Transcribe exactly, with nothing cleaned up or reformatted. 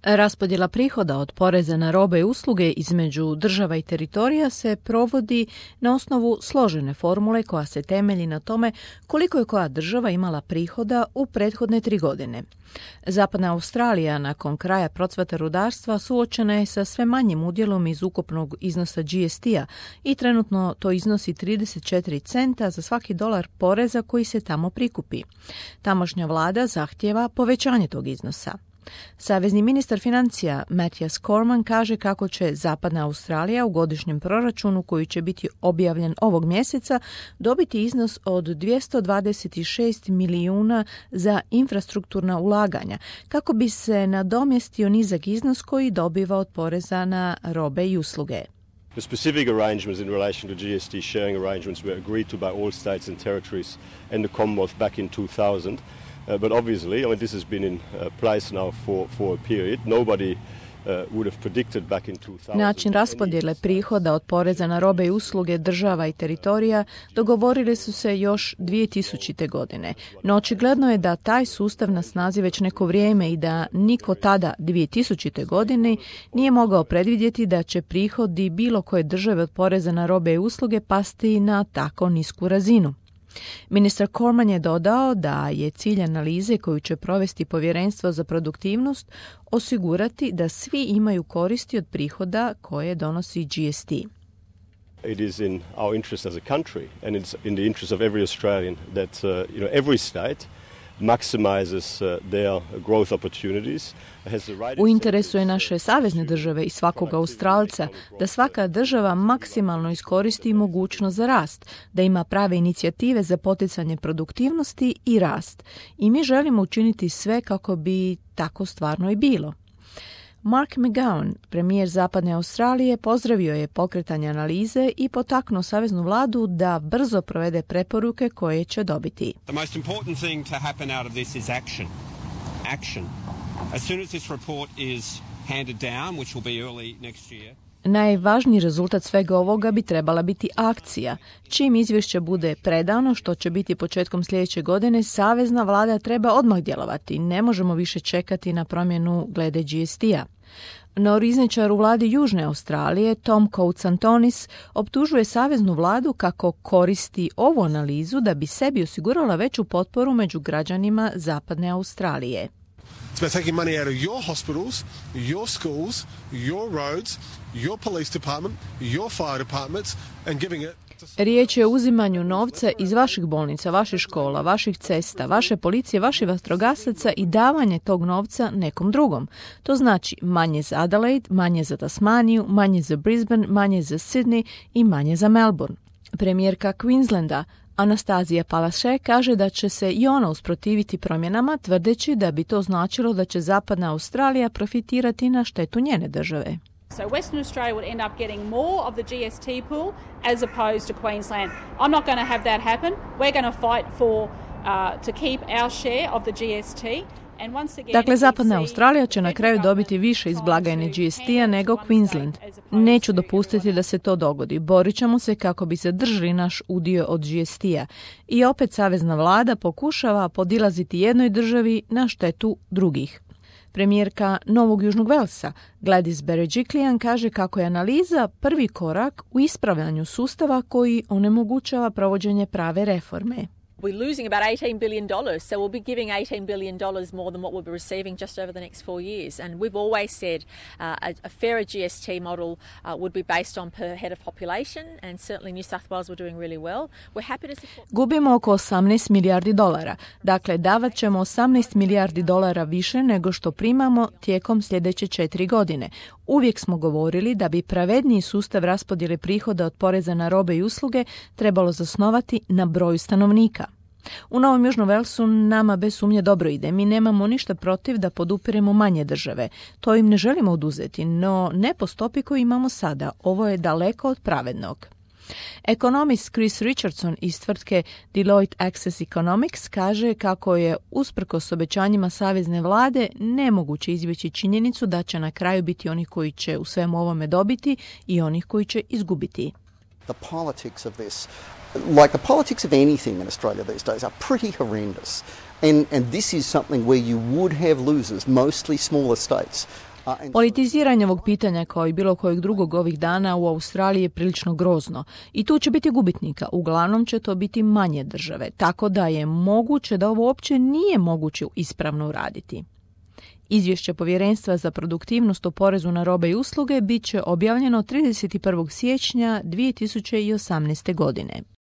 Raspodjela prihoda od poreza na robe i usluge između država i teritorija se provodi na osnovu složene formule koja se temelji na tome koliko je koja država imala prihoda u prethodne tri godine. Zapadna Australija nakon kraja procvata rudarstva suočena je sa sve manjim udjelom iz ukupnog iznosa G S T-a i trenutno to iznosi trideset četiri centa za svaki dolar poreza koji se tamo prikupi. Tamošnja vlada zahtijeva povećanje tog iznosa. Savezni ministar financija Matthias Cormann kaže kako će Zapadna Australija u godišnjem proračunu koji će biti objavljen ovog mjeseca dobiti iznos od dvjesto dvadeset šest milijuna za infrastrukturna ulaganja kako bi se nadomjestio nizak iznos koji dobiva od poreza na robe i usluge. The specific arrangements in relation to G S T sharing arrangements were agreed to by all states and territories and the Commonwealth back in two thousand. Uh, but obviously, I mean, this has been in uh, place now for, for a period. Nobody uh, would have predicted back in two thousand. Način raspodjele prihoda od poreza na robe i usluge država i teritorija dogovorili su se još dvije tisućite. godine. No očigledno je da taj sustav na snazi već neko vrijeme i da niko tada dvije tisućite. godine nije mogao predvidjeti da će prihodi bilo koje države od poreza na robe i usluge pasti na tako nisku razinu. Ministar Cormann je dodao da je cilj analize koju će provesti Povjerenstvo za produktivnost osigurati da svi imaju koristi od prihoda koje donosi G S T. It is in our interest as a country and it's in the interest of every Australian that uh, you know every state maximizes uh, their growth opportunities. U interesu je naše savezne države i svakog Australca da svaka država maksimalno iskoristi mogućnost za rast, da ima prave inicijative za poticanje produktivnosti i rast. I mi želimo učiniti sve kako bi tako stvarno i bilo. Mark McGowan, premijer Zapadne Australije, pozdravio je pokretanje analize i potaknuo saveznu vladu da brzo provede preporuke koje će dobiti. The most important thing to happen out of this is action. Action. As soon as this report is handed down, which will be early next year. Najvažniji rezultat svega ovoga bi trebala biti akcija. Čim izvješće bude predano, što će biti početkom sljedeće godine, savezna vlada treba odmah djelovati. Ne možemo više čekati na promjenu glede G S T-a. No rizničar u vladi Južne Australije, Tom Coates-Antonis, optužuje saveznu vladu kako koristi ovu analizu da bi sebi osigurala veću potporu među građanima Zapadne Australije. It's about taking money out of your hospitals, your schools, your roads, your police department, your fire departments and giving it. Riječ je o uzimanju novca iz vaših bolnica, vaših škola, vaših cesta, vaše policije, vaših vatrogasaca i davanje tog novca nekom drugom. To znači manje za Adelaide, manje za Tasmaniju, manje za Brisbane, manje za Sydney i manje za Melbourne. Premijerka Queenslanda Anastazija Palaszczuk kaže da će se i ona usprotiviti promjenama, tvrdeći da bi to značilo da će Zapadna Australija profitirati na štetu njene države. So Western Australia would end up getting more of the G S T pool as opposed to Queensland. I'm not going to have that happen. We're going to fight for uh, to keep our share of the G S T. Dakle, Zapadna Australija će na kraju dobiti više iz blagajne G S T-a nego Queensland. Neću dopustiti da se to dogodi. Borit ćemo se kako bi zadržali naš udio od G S T-a. I opet savezna vlada pokušava podilaziti jednoj državi na štetu drugih. Premijerka Novog Južnog Velsa, Gladys Berejiklian, kaže kako je analiza prvi korak u ispravljanju sustava koji onemogućava provođenje prave reforme. We're losing about eighteen billion dollars, so we'll be giving eighteen billion dollars more than what we'll be receiving just over the next four years. And we've always said uh, a, a fairer G S T model uh, would be based on per head of population, and certainly New South Wales were doing really well. We're happy to support... Gubimo oko osamnaest milijardi dolara. Dakle, davat ćemo osamnaest milijardi dolara više nego što primamo tijekom sljedeće četiri godine. Uvijek smo govorili da bi pravedniji sustav raspodjele prihoda od poreza na robe i usluge trebalo zasnovati na broju stanovnika. U Novom Južnom Velsu nama bez sumnje dobro ide. Mi nemamo ništa protiv da podupiremo manje države. To im ne želimo oduzeti, no ne po stopi koju imamo sada. Ovo je daleko od pravednog. Ekonomist Chris Richardson iz tvrtke Deloitte Access Economics kaže kako je usprkos obećanjima savezne vlade nemoguće izbjeći činjenicu da će na kraju biti oni koji će u svemu ovome dobiti i onih koji će izgubiti. The politics of this, like the politics of anything in Australia these days, are pretty horrendous. And, and this is something where you would have losers, mostly smaller states. Politiziranje ovog pitanja kao i bilo kojeg drugog ovih dana u Australiji je prilično grozno i tu će biti gubitnika. Uglavnom će to biti manje države, tako da je moguće da ovo uopće nije moguće ispravno uraditi. Izvješće Povjerenstva za produktivnost o porezu na robe i usluge bit će objavljeno trideset prvog siječnja dvije tisuće osamnaeste godine.